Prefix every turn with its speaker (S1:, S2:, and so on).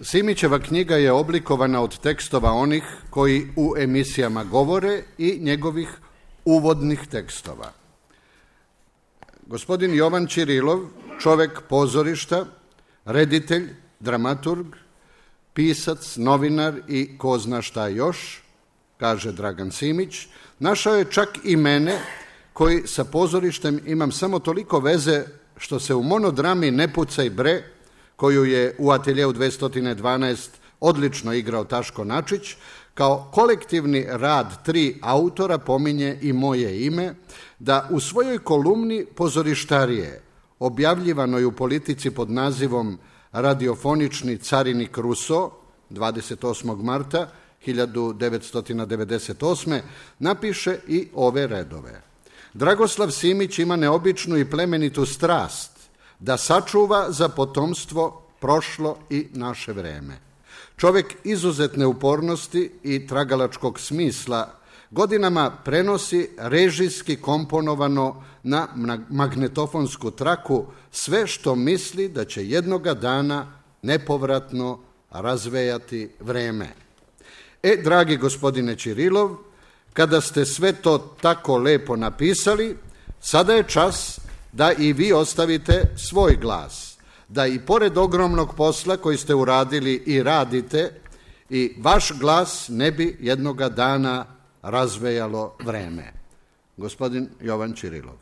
S1: Simićeva knjiga je oblikovana od tekstova onih koji u emisijama govore i njegovih uvodnih tekstova. Gospodin Jovan Ćirilov, čovek pozorišta, reditelj, dramaturg, pisac, novinar i ko zna šta još, kaže Dragan Simić, našao je čak i mene koji sa pozorištem imam samo toliko veze što se u monodrami Ne pucaj bre, koju je u Ateljeu 212 odlično igrao Taško Načić, kao kolektivni rad 3 autora pominje i moje ime, da u svojoj kolumni Pozorištarije, objavljivanoj u Politici pod nazivom Radiofonični carinik Ruso, 28. marta 1998. napiše i ove redove. Dragoslav Simić ima neobičnu i plemenitu strast da sačuva za potomstvo prošlo i naše vreme. Čovek izuzetne upornosti i tragalačkog smisla godinama prenosi režijski komponovano na magnetofonsku traku sve što misli da će jednoga dana nepovratno razvejati vreme. Dragi gospodine Ćirilov, kada ste sve to tako lepo napisali, sada je čas da i vi ostavite svoj glas, da i pored ogromnog posla koji ste uradili i radite, i vaš glas ne bi jednoga dana razvejalo vreme. Gospodin Jovan Ćirilov.